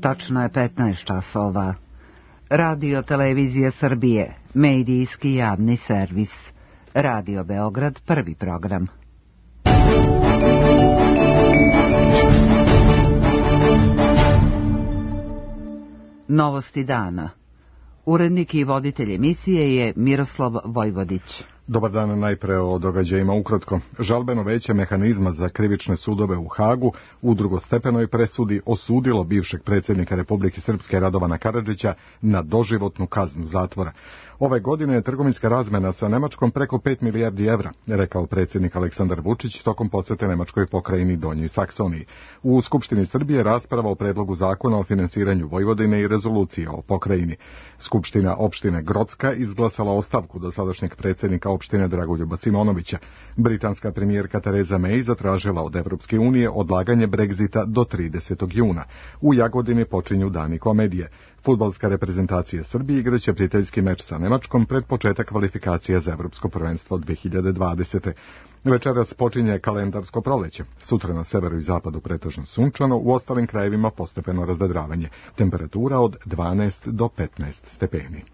Tačno je 15 časova. Radio Televizije Srbije, medijski javni servis. Radio Beograd, prvi program. Novosti dana. Urednik i voditelj emisije je Miroslav Vojvodić. Dobar dan, najpre o događajima ukratko. Žalbeno veće mehanizma za krivične sudove u Hagu u drugostepenoj presudi osudilo bivšeg predsjednika Republike Srpske Radovana Karadžića na doživotnu kaznu zatvora. Ove godine je trgovinska razmena sa Nemačkom preko 5 milijardi evra, rekao predsjednik Aleksandar Vučić tokom posete Nemačkoj pokrajini Donjoj Saksoniji. U Skupštini Srbije rasprava o predlogu zakona o finansiranju Vojvodine i rezolucije o pokrajini. Skupština opštine Grocka izglasala ostavku dosadašnjeg predsjednika opštine Dragoljuba Simonovića. Britanska premijerka Tereza May zatražila od Evropske unije odlaganje Brexita do 30. juna. U Jagodini počinju dani komedije. Fudbalska reprezentacija Srbije igraće prijateljski meč sa Nemačkom pred početak kvalifikacija za Evropsko prvenstvo 2020. Večeras počinje kalendarsko proleće. Sutra na severu i zapadu pretežno sunčano, u ostalim krajevima postepeno razdedravanje. Temperatura od 12 do 15 stepeni.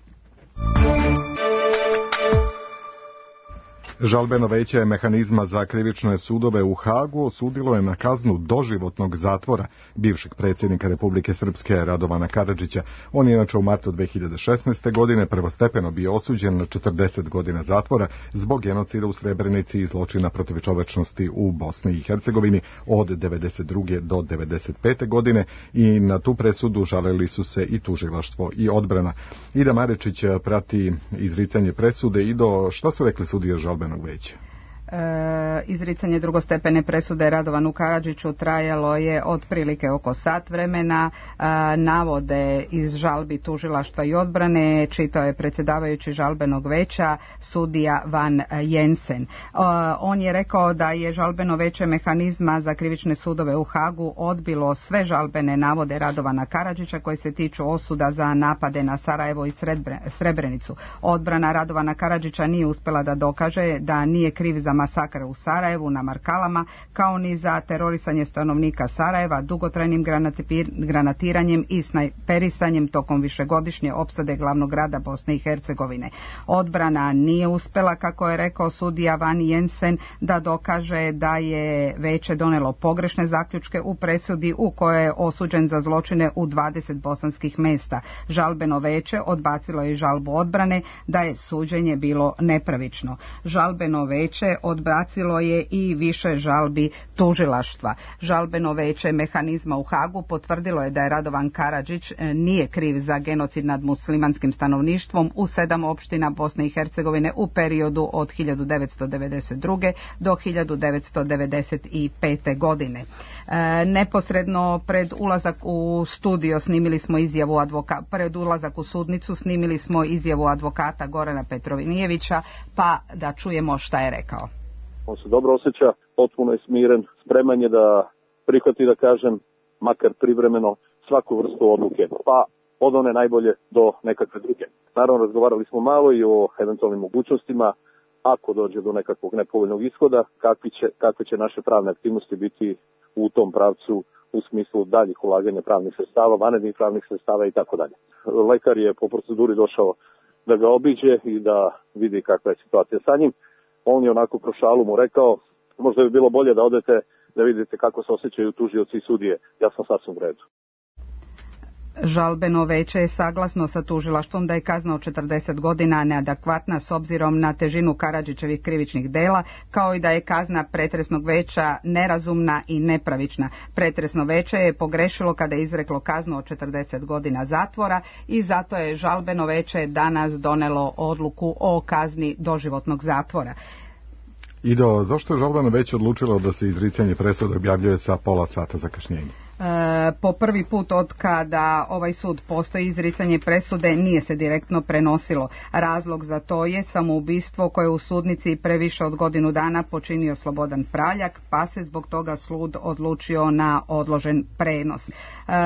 Žalbeno veće mehanizma za krivične sudove u Hagu osudilo je na kaznu doživotnog zatvora bivšeg predsjednika Republike Srpske Radovana Karadžića. On je inače u martu 2016. godine prvostepeno bio osuđen na 40 godina zatvora zbog genocida u Srebrenici i zločina protiv čovečnosti u Bosni i Hercegovini od 92. do 95. godine i na tu presudu žalili su se i tužilaštvo i odbrana. Ida Marečić prati izricanje presude. Ido, šta su rekli sudije žalbenog veća? Izricanje drugostepene presude Radovanu Karadžiću trajalo je otprilike oko sat vremena. Navode iz žalbi tužilaštva i odbrane čitao je predsjedavajući žalbenog veća sudija Van Jensen. On je rekao da je žalbeno veće mehanizma za krivične sudove u Hagu odbilo sve žalbene navode Radovana Karadžića koji se tiču osuda za napade na Sarajevo i Srebrenicu. Odbrana Radovana Karadžića nije uspjela da dokaže da nije kriv za masakr u Sarajevu na Markalama, kao ni za terorisanje stanovnika Sarajeva, dugotrajnim granatiranjem i snajperisanjem tokom višegodišnje opsade glavnog grada Bosne i Hercegovine. Odbrana nije uspjela, kako je rekao sudija Van Jensen, da dokaže da je veće donelo pogrešne zaključke u presudi u kojoj je osuđen za zločine u 20 bosanskih mesta. Žalbeno veće odbacilo je žalbu odbrane da je suđenje bilo nepravično. Žalbeno veće odbacilo je i više žalbi tužilaštva. Žalbeno veće mehanizma u Hagu potvrdilo je da je Radovan Karadžić nije kriv za genocid nad muslimanskim stanovništvom u 7 opština Bosne i Hercegovine u periodu od 1992. do 1995. godine. Neposredno pred ulazak u studio snimili smo izjavu pred ulazak u sudnicu snimili smo izjavu advokata Gorana Petrovinijevića, pa da čujemo šta je rekao. On se dobro osjeća, potpuno je smiren, spreman je da prihvati, da kažem, makar privremeno, svaku vrstu odluke, pa od one najbolje do nekakve druge. Naravno, razgovarali smo malo i o eventualnim mogućnostima, ako dođe do nekakvog nepovoljnog ishoda, kakve će naše pravne aktivnosti biti u tom pravcu u smislu daljih ulaganja pravnih sredstava, vanrednih pravnih sredstava i tako dalje. Lekar je po proceduri došao da ga obiđe i da vidi kakva je situacija sa njim. On je onako kroz šalu mu rekao, možda bi bilo bolje da odete da vidite kako se osjećaju tužioci i sudije. Ja sam sasvim u redu. Žalbeno veće je saglasno sa tužilaštvom da je kazna od 40 godina neadekvatna s obzirom na težinu Karadžićevih krivičnih dela, kao i da je kazna pretresnog veća nerazumna i nepravična. Pretresno veće je pogrešilo kada je izreklo kaznu od 40 godina zatvora i zato je žalbeno veće danas donelo odluku o kazni doživotnog zatvora. Ido, zašto je žalbeno veće odlučilo da se izricanje presude objavljuje sa pola sata zakašnjenja? Po prvi put od kada ovaj sud postoji, izricanje presude nije se direktno prenosilo. Razlog za to je samoubistvo koje u sudnici previše od godinu dana počinio Slobodan Praljak, pa se zbog toga sud odlučio na odložen prenos.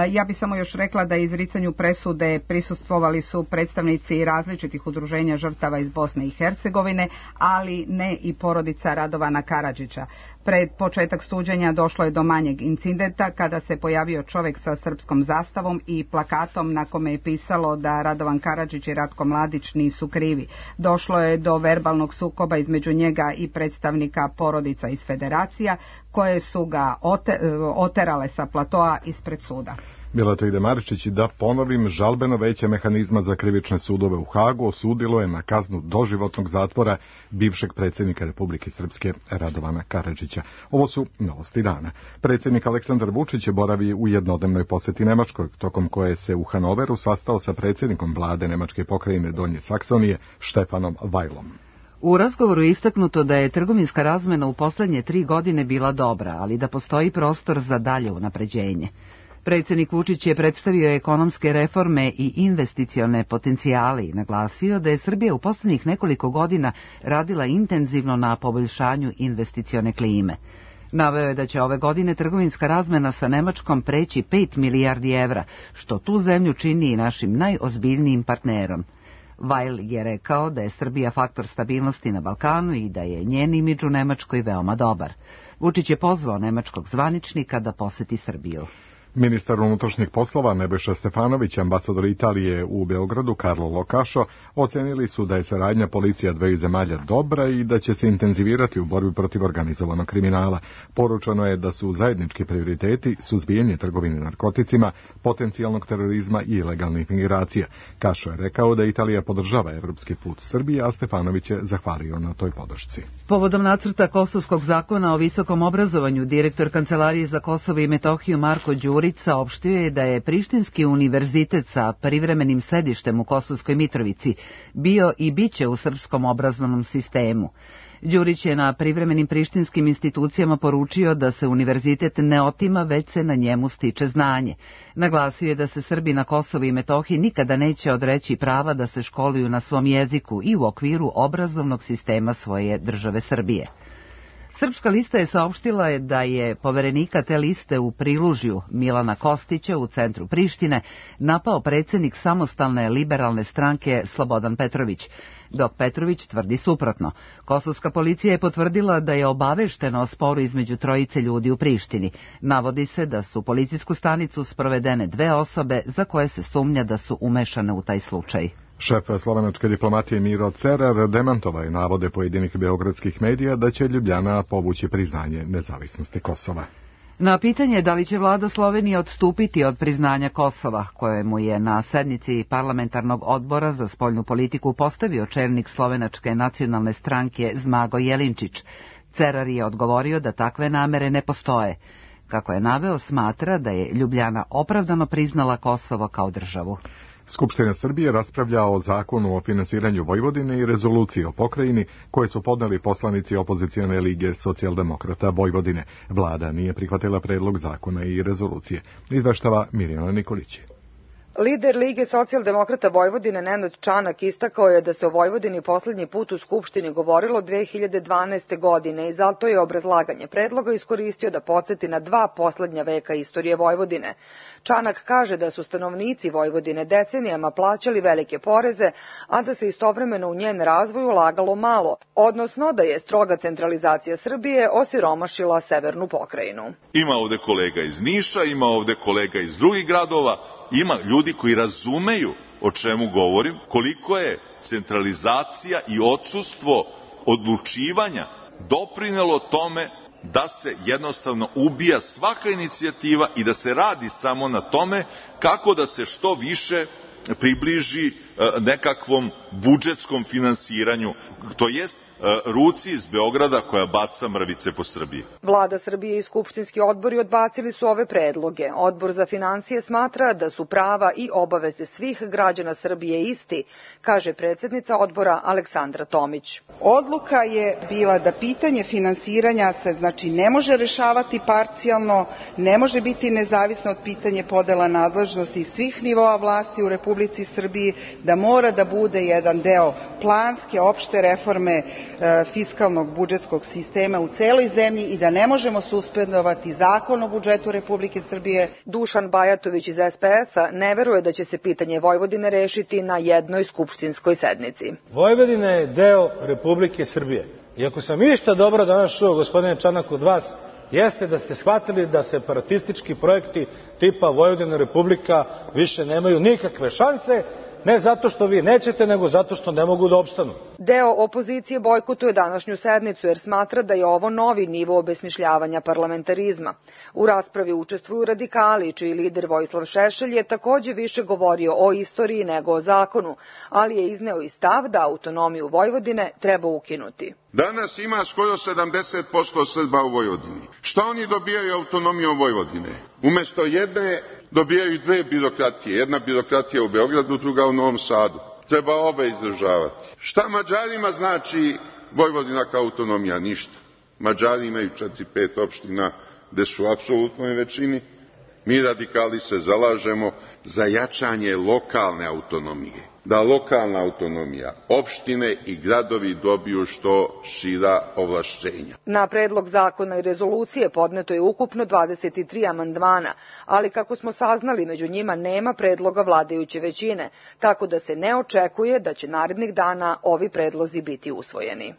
Ja bih samo još rekla da izricanju presude prisustvovali su predstavnici različitih udruženja žrtava iz Bosne i Hercegovine, ali ne i porodica Radovana Karadžića. Pred početak suđenja došlo je do manjeg incidenta kada se pojavio čovjek sa srpskom zastavom i plakatom na kome je pisalo da Radovan Karadžić i Ratko Mladić nisu krivi. Došlo je do verbalnog sukoba između njega i predstavnika porodica iz federacija koje su ga oterale sa platoa ispred suda. Mileta Idemaričić, i da ponovim, žalbeno veće mehanizma za krivične sudove u Hagu osudilo je na kaznu doživotnog zatvora bivšeg predsjednika Republike Srpske Radovana Karadžića. Ovo su novosti dana. Predsjednik Aleksandar Vučić boravi u jednodnevnoj posjeti Nemačkoj, tokom koje se u Hanoveru sastao sa predsjednikom vlade Nemačke pokrajine Donje Saksonije Štefanom Weilom. U razgovoru je istaknuto da je trgovinska razmena u posljednje 3 godine bila dobra, ali da postoji prostor za dalje unapređenje. Predsjednik Vučić je predstavio ekonomske reforme i investicione potencijale i naglasio da je Srbija u posljednjih nekoliko godina radila intenzivno na poboljšanju investicione klime. Naveo je da će ove godine trgovinska razmena sa Nemačkom preći 5 milijardi evra, što tu zemlju čini i našim najozbiljnijim partnerom. Weil je rekao da je Srbija faktor stabilnosti na Balkanu i da je njen imidž u Nemačkoj veoma dobar. Vučić je pozvao nemačkog zvaničnika da posjeti Srbiju. Ministar unutrašnjih poslova Nebojša Stefanović, ambasador Italije u Beogradu Carlo Locašo ocenili su da je saradnja policija dveju zemalja dobra i da će se intenzivirati u borbi protiv organizovanog kriminala. Poručeno je da su zajednički prioriteti suzbijanje trgovine narkoticima, potencijalnog terorizma i ilegalnih migracija. Kašo je rekao da Italija podržava evropski put Srbije, a Stefanović je zahvalio na toj podršci. Povodom nacrta Kosovskog zakona o visokom obrazovanju, direktor Kancelarije za Kosovo i Metohiju Marko Đurić saopštio je da je Prištinski univerzitet sa privremenim sedištem u Kosovskoj Mitrovici bio i biće u srpskom obrazovnom sistemu. Đurić je na privremenim prištinskim institucijama poručio da se univerzitet ne otima, već se na njemu stiče znanje. Naglasio je da se Srbi na Kosovu i Metohiji nikada neće odreći prava da se školuju na svom jeziku i u okviru obrazovnog sistema svoje države Srbije. Srpska lista je saopštila da je poverenika te liste u Prilužju Milana Kostića u centru Prištine napao predsjednik samostalne liberalne stranke Slobodan Petrović, dok Petrović tvrdi suprotno. Kosovska policija je potvrdila da je obaveštena o sporu između trojice ljudi u Prištini. Navodi se da su u policijsku stanicu sprovedene 2 osobe za koje se sumnja da su umešane u taj slučaj. Šef slovenačke diplomatije Miro Cerar demantovao je navode pojedinih beogradskih medija da će Ljubljana povući priznanje nezavisnosti Kosova. Na pitanje da li će vlada Slovenije odstupiti od priznanja Kosova, kojemu je na sednici parlamentarnog odbora za spoljnu politiku postavio čelnik slovenačke nacionalne stranke Zmago Jelinčić, Cerar je odgovorio da takve namere ne postoje. Kako je naveo, smatra da je Ljubljana opravdano priznala Kosovo kao državu. Skupština Srbije raspravlja o zakonu o finansiranju Vojvodine i rezoluciji o pokrajini koje su podneli poslanici opozicione lige socijaldemokrata Vojvodine. Vlada nije prihvatila predlog zakona i rezolucije. Izveštava Mirjana Nikolić. Lider Lige socijaldemokrata Vojvodine Nenad Čanak istakao je da se o Vojvodini posljednji put u Skupštini govorilo 2012. godine i zato je obrazlaganje predloga iskoristio da podsjeti na 2 posljednja veka istorije Vojvodine. Čanak kaže da su stanovnici Vojvodine decenijama plaćali velike poreze, a da se istovremeno u njen razvoj ulagalo malo, odnosno da je stroga centralizacija Srbije osiromašila severnu pokrajinu. Ima ovde kolega iz Niša, ima ovde kolega iz drugih gradova, ima ljudi koji razumeju o čemu govorim, koliko je centralizacija i odsustvo odlučivanja doprinelo tome da se jednostavno ubija svaka inicijativa i da se radi samo na tome kako da se što više približi nekakvom budžetskom finansiranju, to jest ruci iz Beograda koja baca mrvice po Srbiji. Vlada Srbije i skupštinski odbori odbacili su ove predloge. Odbor za financije smatra da su prava i obaveze svih građana Srbije isti, kaže predsjednica odbora Aleksandra Tomić. Odluka je bila da pitanje finansiranja se ne može rešavati parcijalno, ne može biti nezavisno od pitanja podela nadležnosti svih nivoa vlasti u Republici Srbiji, da mora da bude jedan deo planske opšte reforme fiskalnog budžetskog sistema u celoj zemlji i da ne možemo suspendovati Zakon o budžetu Republike Srbije. Dušan Bajatović iz SPS-a ne veruje da će se pitanje Vojvodine rešiti na jednoj skupštinskoj sednici. Vojvodina je deo Republike Srbije. I ako sam išta dobro danas čuo, gospodine Čanak, od vas, jeste da ste shvatili da separatistički projekti tipa Vojvodina Republika više nemaju nikakve šanse, ne zato što vi nećete, nego zato što ne mogu da opstanu. Deo opozicije bojkotuje današnju sednicu jer smatra da je ovo novi nivo obesmišljavanja parlamentarizma. U raspravi učestvuju radikali, čiji lider Vojislav Šešelj je takođe više govorio o istoriji nego o zakonu, ali je izneo i stav da autonomiju Vojvodine treba ukinuti. Danas ima skoro 70% Srba u Vojvodini. Šta oni dobijaju autonomijom Vojvodine? Umesto jedne dobijaju dve birokratije. Jedna birokratija u Beogradu, druga u Novom Sadu. Treba obe izdržavati. Šta Mađarima znači Vojvodina kao autonomija? Ništa. Mađari imaju 4-5 opština gde su u apsolutnoj većini. Mi radikali se zalažemo za jačanje lokalne autonomije. Da lokalna autonomija, opštine i gradovi dobiju što šira ovlašćenja. Na predlog zakona i rezolucije podneto je ukupno 23 amandmana, ali kako smo saznali, među njima nema predloga vladajuće većine, tako da se ne očekuje da će narednih dana ovi predlozi biti usvojeni.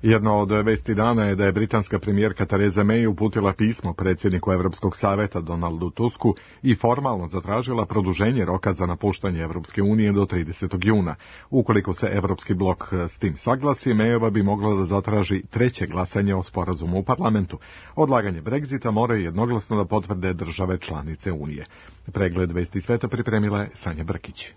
Jedna od vesti dana je da je britanska premijerka Theresa May uputila pismo predsjedniku Evropskog saveta Donaldu Tusku i formalno zatražila produženje roka za napuštanje Evropske unije do 30. juna. Ukoliko se Evropski blok s tim saglasi, Mayova bi mogla da zatraži treće glasanje o sporazumu u parlamentu. Odlaganje Brexita moraju jednoglasno da potvrde države članice Unije. Pregled vesti sveta pripremila je Sanja Brkić.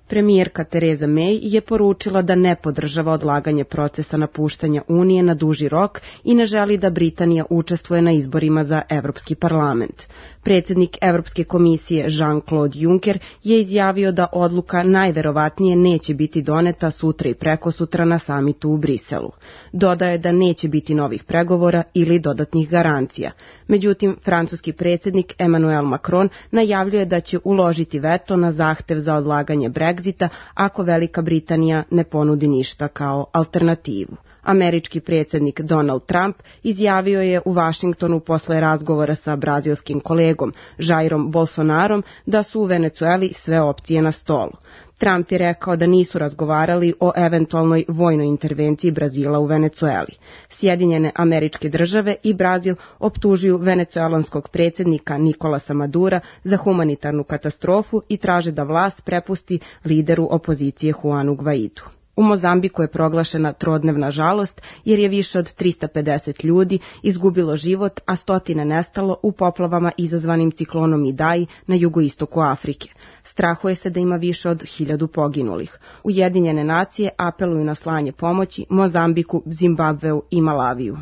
Premijerka Theresa May je poručila da ne podržava odlaganje procesa napuštanja Unije na duži rok i ne želi da Britanija učestvuje na izborima za Evropski parlament. Predsjednik Evropske komisije Jean-Claude Juncker je izjavio da odluka najverovatnije neće biti doneta sutra i prekosutra na samitu u Briselu. Dodaje da neće biti novih pregovora ili dodatnih garancija. Međutim, francuski predsjednik Emmanuel Macron najavljuje da će uložiti veto na zahtev za odlaganje Brexita ako Velika Britanija ne ponudi ništa kao alternativu. Američki predsjednik Donald Trump izjavio je u Vašingtonu posle razgovora sa brazilskim kolegom Jairom Bolsonarom da su u Venecueli sve opcije na stolu. Trump je rekao da nisu razgovarali o eventualnoj vojnoj intervenciji Brazila u Venecueli. Sjedinjene Američke Države i Brazil optužuju venecuelanskog predsjednika Nikolasa Madura za humanitarnu katastrofu i traže da vlast prepusti lideru opozicije Juanu Guaidu. U Mozambiku je proglašena trodnevna žalost jer je više od 350 ljudi izgubilo život, a stotine nestalo u poplavama izazvanim ciklonom Idai na jugoistoku Afrike. Strahuje se da ima više od 1000 poginulih. Ujedinjene nacije apeluju na slanje pomoći Mozambiku, Zimbabveu i Malaviju.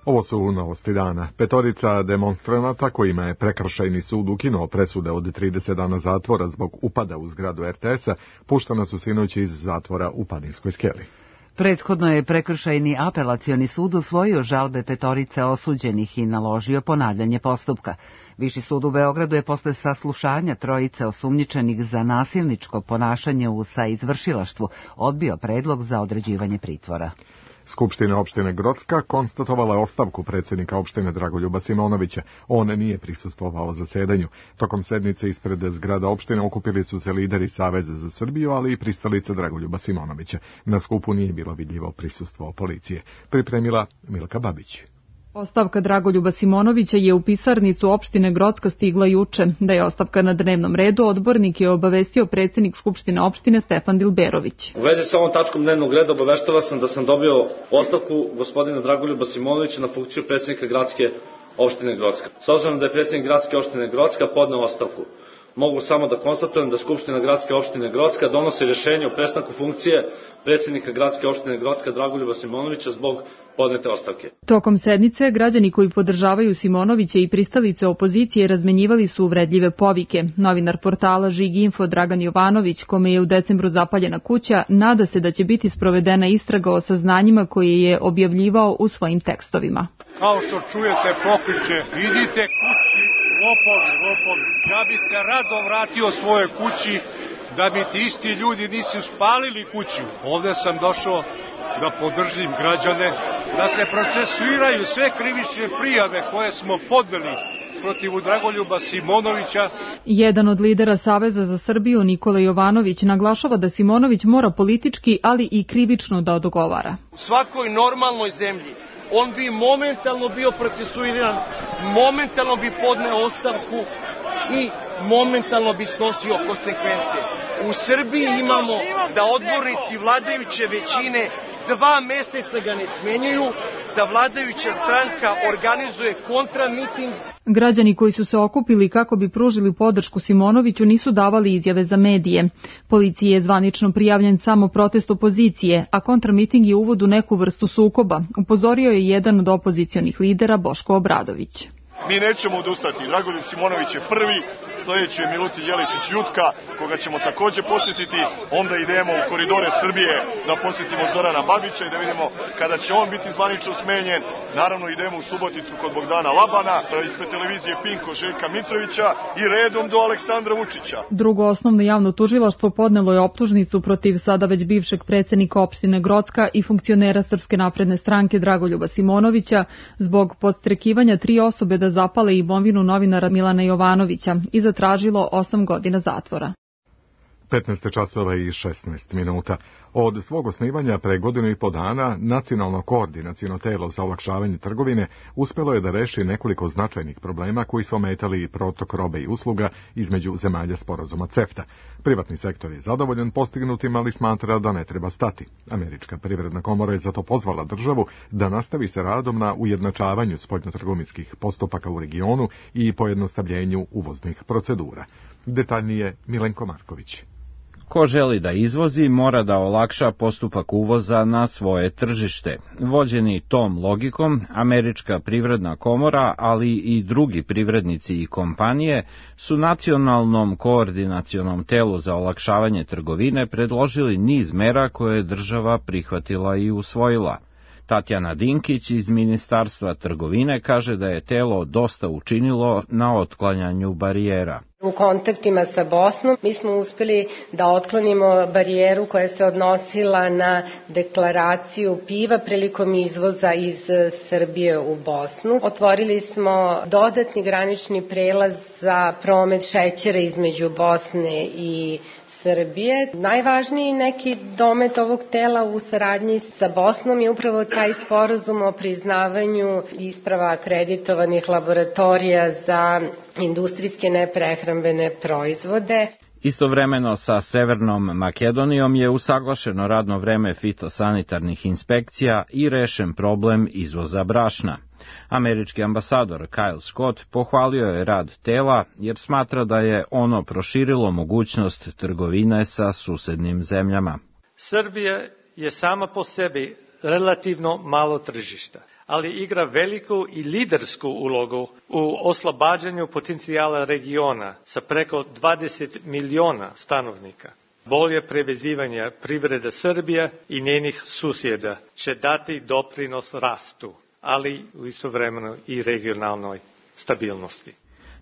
Ovo su novosti dana. 5 demonstranata kojima je prekršajni sud ukinuo presude od 30 dana zatvora zbog upada u zgradu RTS-a puštana su sinoć iz zatvora u Padinskoj skeli. Prethodno je prekršajni apelacioni sud usvojio žalbe 5 osuđenih i naložio ponavljanje postupka. Viši sud u Beogradu je posle saslušanja 3 osumnjičenih za nasilničko ponašanje u saizvršilaštvu odbio predlog za određivanje pritvora. Skupština opštine Grocka konstatovala je ostavku predsjednika opštine Dragoljuba Simonovića. On nije prisustvovao zasedanju. Tokom sednice ispred zgrada opštine okupili su se lideri Saveza za Srbiju, ali i pristalice Dragoljuba Simonovića. Na skupu nije bilo vidljivo prisustvo policije. Pripremila Milka Babić. Ostavka Dragoljuba Simonovića je u pisarnicu opštine Grocka stigla juče. Da je ostavka na dnevnom redu, odbornik je obavestio predsjednik Skupštine opštine Stefan Dilberović. U vezi sa ovom tačkom dnevnog reda obaveštava sam da sam dobio ostavku gospodina Dragoljuba Simonovića na funkciju predsjednika gradske opštine Grocka. S obzirom da je predsjednik gradske opštine Grocka podneo ostavku, mogu samo da konstatujem da Skupština gradske opštine Grocka donosi rješenje o prestanku funkcije predsjednika gradske opštine Grocka Dragoljuba Simonovića zbog podnete ostavke. Tokom sednice, građani koji podržavaju Simonovića i pristalice opozicije razmenjivali su uvredljive povike. Novinar portala Žig-Info Dragan Jovanović, kome je u decembru zapaljena kuća, nada se da će biti sprovedena istraga o saznanjima koje je objavljivao u svojim tekstovima. Kao što čujete pokliče, idite kući, lopovi. Ja bi se rado vratio svojoj kući da mi ti isti ljudi nisu spalili kuću. Ovdje sam došao da podržim građane, da se procesuiraju sve krivične prijave koje smo podneli protiv Dragoljuba Simonovića. Jedan od lidera Saveza za Srbiju, Nikola Jovanović, naglašava da Simonović mora politički, ali i krivično da odgovara. U svakoj normalnoj zemlji on bi momentalno bio procesuiran, momentalno bi podneo ostavku i momentalno bi snosio konsekvencije. U Srbiji imamo da odbornici vladajuće većine 2 meseca ga ne smenjuju, da vladajuća stranka organizuje kontramiting. Građani koji su se okupili kako bi pružili podršku Simonoviću nisu davali izjave za medije. Policiji je zvanično prijavljen samo protest opozicije, a kontramiting je uvod u neku vrstu sukoba, upozorio je jedan od opozicionih lidera Boško Obradović. Mi nećemo odustati. Dragoljub Simonović je prvi, sljedeći je Milutin Jeličić Jutka, koga ćemo također posjetiti. Onda idemo u koridore Srbije da posjetimo Zorana Babića i da vidimo kada će on biti zvanično smenjen. Naravno idemo u Suboticu kod Bogdana Labana, ispred televizije Pinko Željka Mitrovića i redom do Aleksandra Vučića. Drugo osnovno javno tužilaštvo podnelo je optužnicu protiv sada već bivšeg predsjednika opštine Grocka i funkcionera Srpske napredne stranke Dragoljuba Simonovića zbog podstrekivanja 3 osobe da zapale imovinu novinara Milana Jovanovića i zatražilo 8 godina zatvora. 15 časova i 16 minuta. Od svog osnivanja pre godinu i po dana Nacionalno koordinaciono telo za olakšavanje trgovine uspelo je da reši nekoliko značajnih problema koji su ometali protok robe i usluga između zemalja sporazuma CEFTA. Privatni sektor je zadovoljan postignutim, ali smatra da ne treba stati. Američka privredna komora je zato pozvala državu da nastavi sa radom na ujednačavanju spoljnotrgovinskih postupaka u regionu i pojednostavljenju uvoznih procedura. Detaljnije Milenko Marković. Ko želi da izvozi, mora da olakša postupak uvoza na svoje tržište. Vođeni tom logikom, Američka privredna komora, ali i drugi privrednici i kompanije, su Nacionalnom koordinacionom telu za olakšavanje trgovine predložili niz mera koje je država prihvatila i usvojila. Tatjana Dinkić iz Ministarstva trgovine kaže da je telo dosta učinilo na otklanjanju barijera. U kontaktima sa Bosnom mi smo uspeli da otklonimo barijeru koja se odnosila na deklaraciju piva prilikom izvoza iz Srbije u Bosnu. Otvorili smo dodatni granični prelaz za promet šećera između Bosne i Srbije. Najvažniji neki domet ovog tela u saradnji sa Bosnom je upravo taj sporazum o priznavanju isprava akreditovanih laboratorija za industrijske neprehrambene proizvode. Istovremeno sa Severnom Makedonijom je usaglašeno radno vreme fitosanitarnih inspekcija i rešen problem izvoza brašna. Američki ambasador Kyle Scott pohvalio je rad tela jer smatra da je ono proširilo mogućnost trgovine sa susednim zemljama. Srbija je sama po sebi relativno malo tržišta, ali igra veliku i lidersku ulogu u oslobađanju potencijala regiona sa preko 20 miliona stanovnika. Bolje prevezivanje privrede Srbije i njenih susjeda će dati doprinos rastu, ali istovremeno i regionalnoj stabilnosti.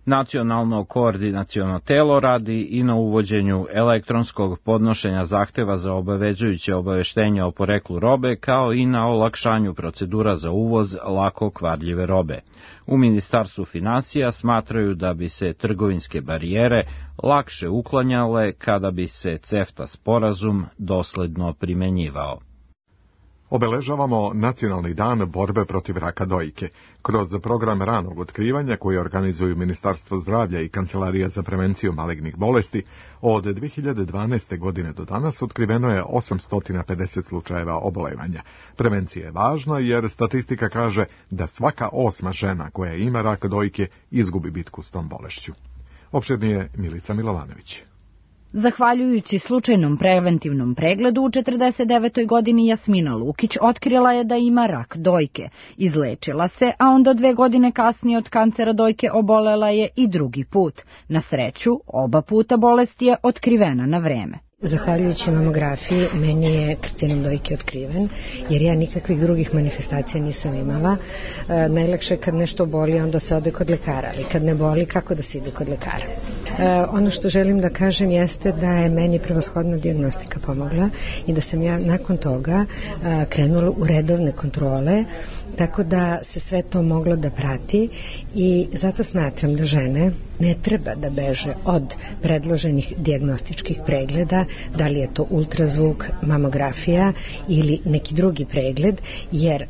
Nacionalno koordinaciono telo radi i na uvođenju elektronskog podnošenja zahteva za obavezujuće obaveštenje o poreklu robe, kao i na olakšanju procedura za uvoz lako kvarljive robe. U Ministarstvu finansija smatraju da bi se trgovinske barijere lakše uklanjale kada bi se CEFTA sporazum dosledno primenjivao. Obeležavamo Nacionalni dan borbe protiv raka dojke. Kroz program ranog otkrivanja koji organizuju Ministarstvo zdravlja i Kancelarija za prevenciju malignih bolesti, od 2012. godine do danas otkriveno je 850 slučajeva obolevanja. Prevencija je važna jer statistika kaže da svaka 8. žena koja ima rak dojke izgubi bitku s tom bolešću. Opširnije Milica Milovanović. Zahvaljujući slučajnom preventivnom pregledu u 49. godini Jasmina Lukić otkrila je da ima rak dojke. Izlečila se, a onda 2 godine kasnije od kancera dojke obolela je i drugi put. Na sreću, oba puta bolest je otkrivena na vreme. Zahvaljujući mamografiji, meni je karcinom dojke otkriven, jer ja nikakvih drugih manifestacija nisam imala. Najlakše je kad nešto boli, onda se ode kod lekara, ali kad ne boli, kako da se ide kod lekara? Ono što želim da kažem jeste da je meni prevashodno dijagnostika pomogla i da sam ja nakon toga krenula u redovne kontrole, tako da se sve to moglo da prati i zato smatram da žene ne treba da beže od predloženih dijagnostičkih pregleda, da li je to ultrazvuk, mamografija ili neki drugi pregled, jer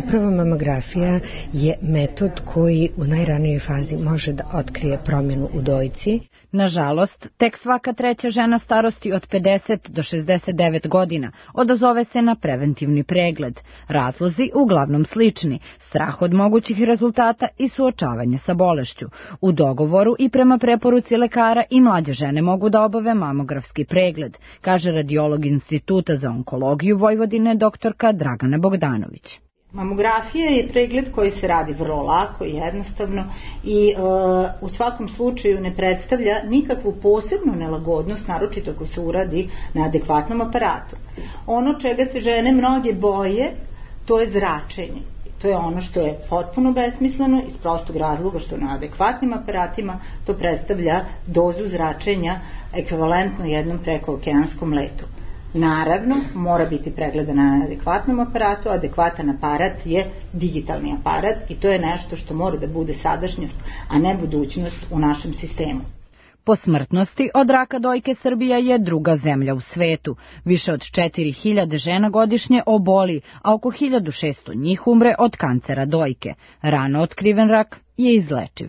upravo mamografija je metod koji u najranijoj fazi može da otkrije promjenu u dojci. Nažalost, tek svaka treća žena starosti od 50 do 69 godina odazove se na preventivni pregled. Razlozi uglavnom slični, strah od mogućih rezultata i suočavanje sa bolešću. U dogovoru i prema preporuci lekara i mlađe žene mogu da obave mamografski pregled, kaže radiolog Instituta za onkologiju Vojvodine doktorka Dragana Bogdanović. Mamografija je pregled koji se radi vrlo lako i jednostavno i u svakom slučaju ne predstavlja nikakvu posebnu nelagodnost, naročito ako se uradi na adekvatnom aparatu. Ono čega se žene mnoge boje, to je zračenje. To je ono što je potpuno besmisleno iz prostog razloga što na adekvatnim aparatima to predstavlja dozu zračenja ekvivalentno jednom prekookeanskom letu. Naravno, mora biti pregledan na adekvatnom aparatu, adekvatan aparat je digitalni aparat i to je nešto što mora da bude sadašnjost, a ne budućnost u našem sistemu. Po smrtnosti od raka dojke Srbija je druga zemlja u svetu. Više od 4000 žena godišnje oboli, a oko 1600 njih umre od kancera dojke. Rano otkriven rak je izlečiv.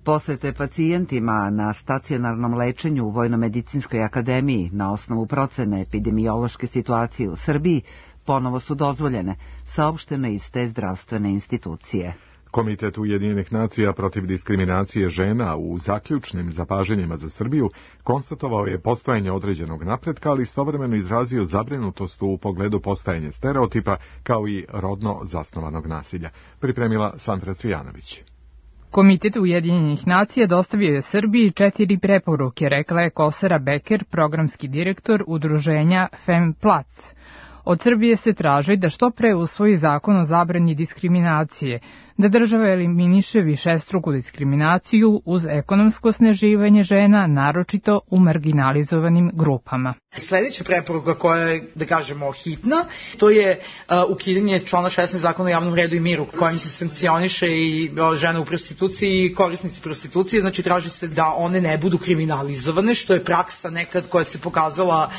Posete pacijentima na stacionarnom lečenju u Vojnomedicinskoj akademiji na osnovu procene epidemiološke situacije u Srbiji ponovo su dozvoljene, saopštene iz te zdravstvene institucije. Komitet Ujedinjenih nacija protiv diskriminacije žena u zaključnim zapažanjima za Srbiju konstatovao je postojanje određenog napretka, ali istovremeno izrazio zabrinutost u pogledu postajanja stereotipa kao i rodno zasnovanog nasilja. Pripremila Sandra Cvijanović. Komitet Ujedinjenih nacija dostavio je Srbiji 4 preporuke, rekla je Kosera Beker, programski direktor udruženja FemPlac. Od Srbije se traži da što pre usvoji zakon o zabrani diskriminacije, da država eliminiše višestruku diskriminaciju uz ekonomsko osnaživanje žena, naročito u marginalizovanim grupama. Sljedeća preporuka koja je, da kažemo, hitna, to je ukidanje člana 16 zakona o javnom redu i miru, kojim se sankcioniše i žene u prostituciji i korisnici prostitucije, znači traži se da one ne budu kriminalizovane, što je praksa nekad koja se pokazala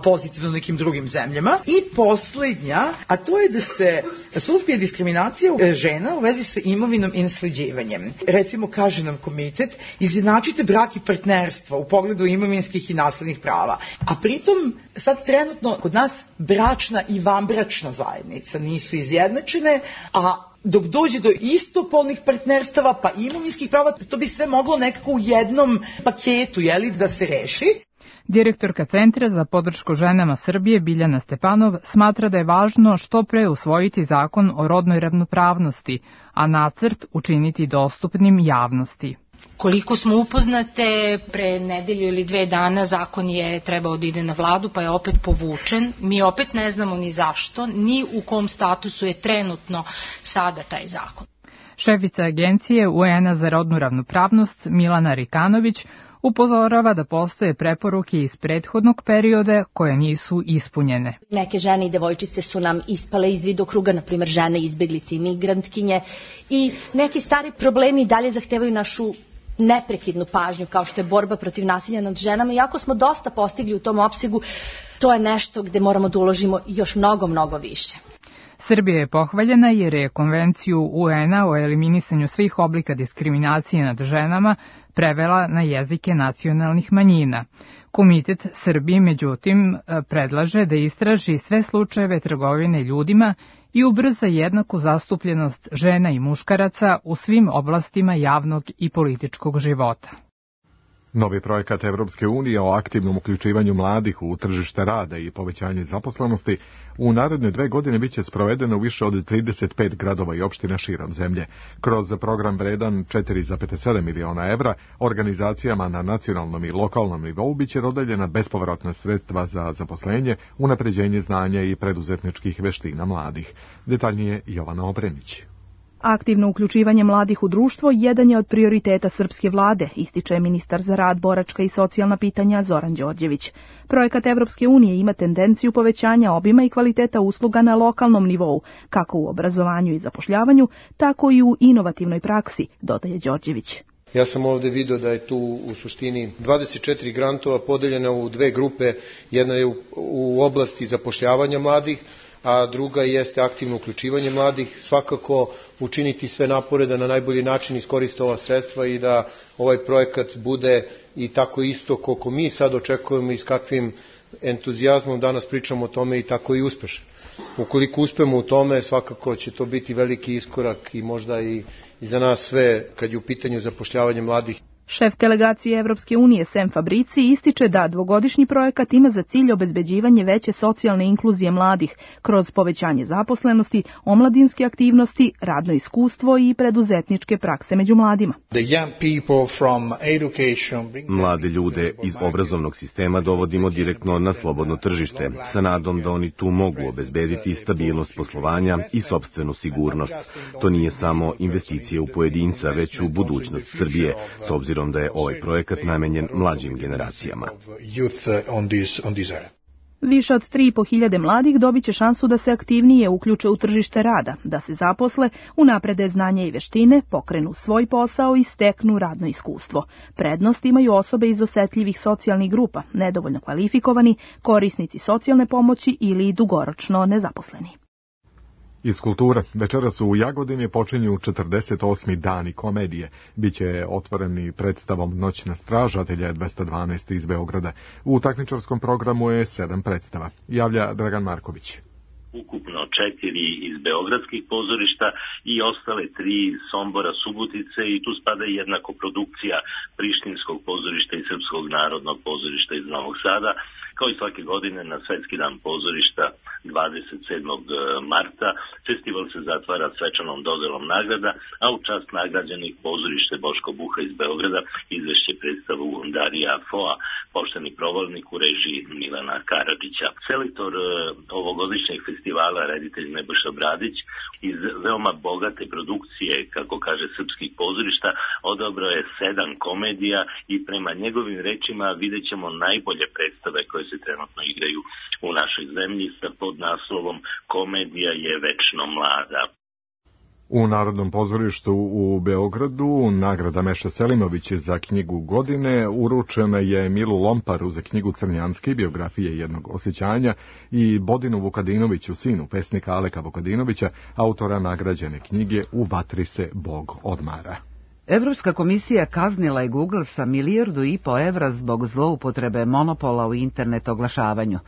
pozitivno nekim drugim zemljama. I posljednja, a to je da se suzbije diskriminacija žena u vezi sa imovinom i nasleđivanjem. Recimo, kaže nam komitet, izjednačite brak i partnerstvo u pogledu imovinskih i naslednih prava. A pritom, sad trenutno kod nas bračna i vanbračna zajednica nisu izjednačene, a dok dođe do istopolnih partnerstava pa imovinskih prava, to bi sve moglo nekako u jednom paketu, da se reši. Direktorka Centra za podršku ženama Srbije Biljana Stepanov smatra da je važno što pre usvojiti zakon o rodnoj ravnopravnosti, a nacrt učiniti dostupnim javnosti. Koliko smo upoznate, pre nedelju ili 2 dana zakon je trebao da ide na vladu, pa je opet povučen. Mi opet ne znamo ni zašto, ni u kom statusu je trenutno sada taj zakon. Šefica Agencije UN-a za rodnu ravnopravnost Milana Rikanović upozorava da postoje preporuke iz prethodnog perioda koje nisu ispunjene. Neke žene i devojčice su nam ispale iz vidokruga, na primjer žene izbeglice i migrantkinje, i neki stari problemi dalje zahtevaju našu neprekidnu pažnju, kao što je borba protiv nasilja nad ženama. Iako smo dosta postigli u tom opsegu, to je nešto gde moramo da uložimo još mnogo više. Srbija je pohvaljena jer je Konvenciju UN-a o eliminisanju svih oblika diskriminacije nad ženama prevela na jezike nacionalnih manjina. Komitet Srbije, međutim, predlaže da istraži sve slučajeve trgovine ljudima i ubrza jednaku zastupljenost žena i muškaraca u svim oblastima javnog i političkog života. Novi projekat Evropske unije o aktivnom uključivanju mladih u tržište rada i povećanje zaposlenosti u naredne 2 godine biće sprovedeno u više od 35 gradova i opština širom zemlje. Kroz program vredan 4,7 miliona evra organizacijama na nacionalnom i lokalnom nivou biće dodeljena bespovratna sredstva za zaposlenje, unapređenje znanja i preduzetničkih veština mladih. Detaljnije Jovana Obrenić. Aktivno uključivanje mladih u društvo jedan je od prioriteta srpske vlade, ističe ministar za rad, boračka i socijalna pitanja Zoran Đorđević. Projekat Evropske unije ima tendenciju povećanja obima i kvaliteta usluga na lokalnom nivou, kako u obrazovanju i zapošljavanju, tako i u inovativnoj praksi, dodaje Đorđević. Ja sam ovde video da je tu u suštini 24 grantova podeljena u 2 grupe, jedna je u oblasti zapošljavanja mladih, a druga jeste aktivno uključivanje mladih, svakako učiniti sve napore da na najbolji način iskoriste ova sredstva i da ovaj projekat bude i tako isto koliko mi sad očekujemo i s kakvim entuzijazmom danas pričamo o tome i tako i uspešan. Ukoliko uspemo u tome, svakako će to biti veliki iskorak i možda i za nas sve kad je u pitanju zapošljavanje mladih. Šef delegacije Evropske unije Sem Fabrici ističe da 2-godišnji projekat ima za cilj obezbeđivanje veće socijalne inkluzije mladih kroz povećanje zaposlenosti, omladinske aktivnosti, radno iskustvo i preduzetničke prakse među mladima. Mlade ljude iz obrazovnog sistema dovodimo direktno na slobodno tržište, sa nadom da oni tu mogu obezbediti stabilnost poslovanja i sopstvenu sigurnost. To nije samo investicije u pojedinca, već u budućnost Srbije, s obzirom da je ovaj projekat namenjen mlađim generacijama. Više od 3.500 mladih dobit će šansu da se aktivnije uključe u tržište rada, da se zaposle, unaprede znanje i veštine, pokrenu svoj posao i steknu radno iskustvo. Prednost imaju osobe iz osetljivih socijalnih grupa, nedovoljno kvalifikovani, korisnici socijalne pomoći ili dugoročno nezaposleni. Iz kulture, večeras u Jagodini počinju 48. dani komedije. Biće otvoreni predstavom Noćna straža, atelje 212 iz Beograda. U takmičarskom programu je 7 predstava. Javlja Dragan Marković. Ukupno 4 iz beogradskih pozorišta i ostale 3 iz Sombora, Subotice i tu spada i jedna koprodukcija Prištinskog pozorišta i Srpskog narodnog pozorišta iz Novog Sada. Kao i svake godine na Svetski dan pozorišta 27. marta festival se zatvara svečanom dodelom nagrada, a u čast nagrađenih pozorište Boško Buha iz Beograda izvešće predstavu Darija Foa, Pošteni provalnik u režiji Milana Karadžića. Selektor ovogodišnjeg festivala, reditelj Nebojša Bradić, iz veoma bogate produkcije, kako kaže srpskih pozorišta, odabrao je 7 komedija i prema njegovim rečima vidjet ćemo najbolje predstave koje se trenutno igraju u našoj zemlji sa podnaslovom Komedija je večno mlada. U Narodnom pozorištu u Beogradu nagrada Meša Selimović za knjigu godine uručena je Milu Lomparu za knjigu Crnjanski, biografije jednog osjećanja, i Bodinu Vukadinoviću, sinu pesnika Aleka Vukadinovića, autora nagrađene knjige U vatri se Bog odmara. Evropska komisija kaznila je Google sa 1,5 milijardu evra zbog zloupotrebe monopola u internet oglašavanju.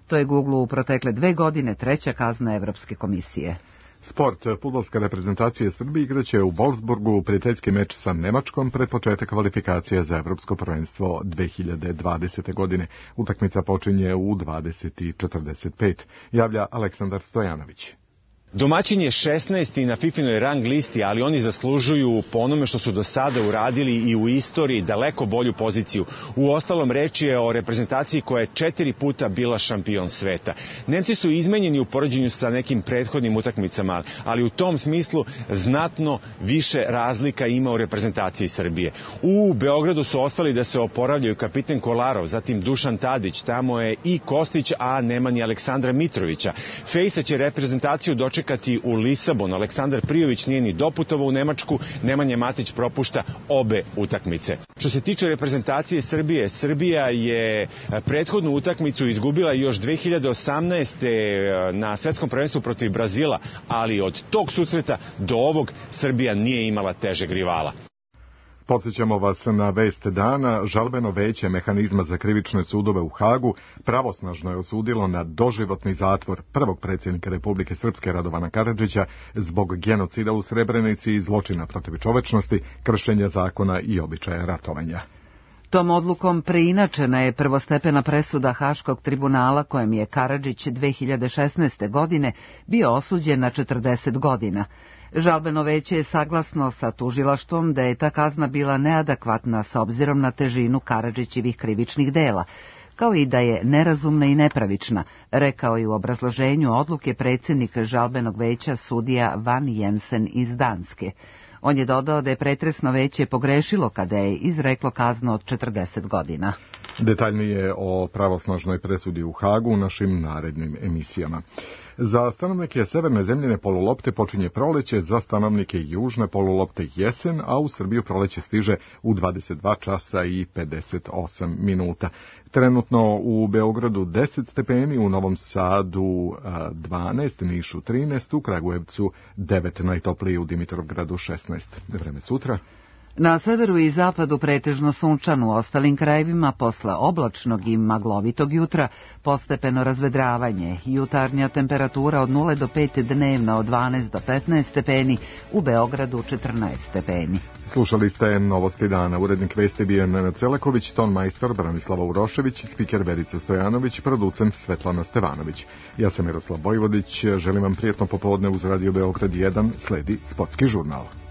To je Google u protekle 2 godine 3. kazna Evropske komisije. Sport. Fudbalska reprezentacija Srbije igraće u Wolfsburgu prijateljski meč sa Nemačkom pred početak kvalifikacije za Evropsko prvenstvo 2020. godine. Utakmica počinje u 20:45. Javlja Aleksandar Stojanović. Domaćin je 16. na FIFInoj rang listi, ali oni zaslužuju po onome što su do sada uradili i u istoriji daleko bolju poziciju. U ostalom reč je o reprezentaciji koja je 4 puta bila šampion sveta. Nemci su izmenjeni u poređenju sa nekim prethodnim utakmicama, ali u tom smislu znatno više razlika ima u reprezentaciji Srbije. U Beogradu su ostali da se oporavljaju kapiten Kolarov, zatim Dušan Tadić, tamo je i Kostić, a nema ni Aleksandra Mitrovića. Fejsa će reprezentaciju dočekati u Lisabonu. Aleksandar Prijović nije ni doputovao u Nemačku, Nemanja Matić propušta obe utakmice. Što se tiče reprezentacije Srbije, Srbija je prethodnu utakmicu izgubila još 2018. na svetskom prvenstvu protiv Brazila, ali od tog susreta do ovog Srbija nije imala težeg rivala. Podsjećamo vas na vest dana. Žalbeno veće mehanizma za krivične sudove u Hagu pravosnažno je osudilo na doživotni zatvor prvog predsjednika Republike Srpske Radovana Karadžića zbog genocida u Srebrenici i zločina protiv čovečnosti, kršenja zakona i običaja ratovanja. Tom odlukom preinačena je prvostepena presuda Haškog tribunala kojem je Karadžić 2016. godine bio osuđen na 40 godina. Žalbeno veće je saglasno sa tužilaštvom da je ta kazna bila neadekvatna s obzirom na težinu Karadžićevih krivičnih dela, kao i da je nerazumna i nepravična, rekao je u obrazloženju odluke predsjednik žalbenog veća sudija Van Jensen iz Danske. On je dodao da je pretresno veće pogrešilo kada je izreklo kaznu od 40 godina. Detaljnije o pravosnažnoj presudi u Hagu u našim narednim emisijama. Za stanovnike severne zemljine polulopte počinje proleće, za stanovnike južne polulopte jesen, a u Srbiju proleće stiže u 22 časa i 58 minuta. Trenutno u Beogradu 10 stepeni, u Novom Sadu 12, Nišu 13, u Kragujevcu 9, najtopliji u Dimitrovgradu 16. Vreme sutra. Na severu i zapadu pretežno sunčano, u ostalim krajevima posle oblačnog i maglovitog jutra postepeno razvedravanje. Jutarnja temperatura od 0 do 5, dnevna od 12 do 15 stepeni, u Beogradu 14 stepeni. Slušali ste Novosti dana. Urednik vesti bio Nenad Celaković, ton majstor Branislava Urošević, spiker Verica Stojanović, producent Svetlana Stevanović. Ja sam Miroslav Bojvodić, želim vam prijetno popodne uz Radio Beograd 1, sledi Sportski žurnal.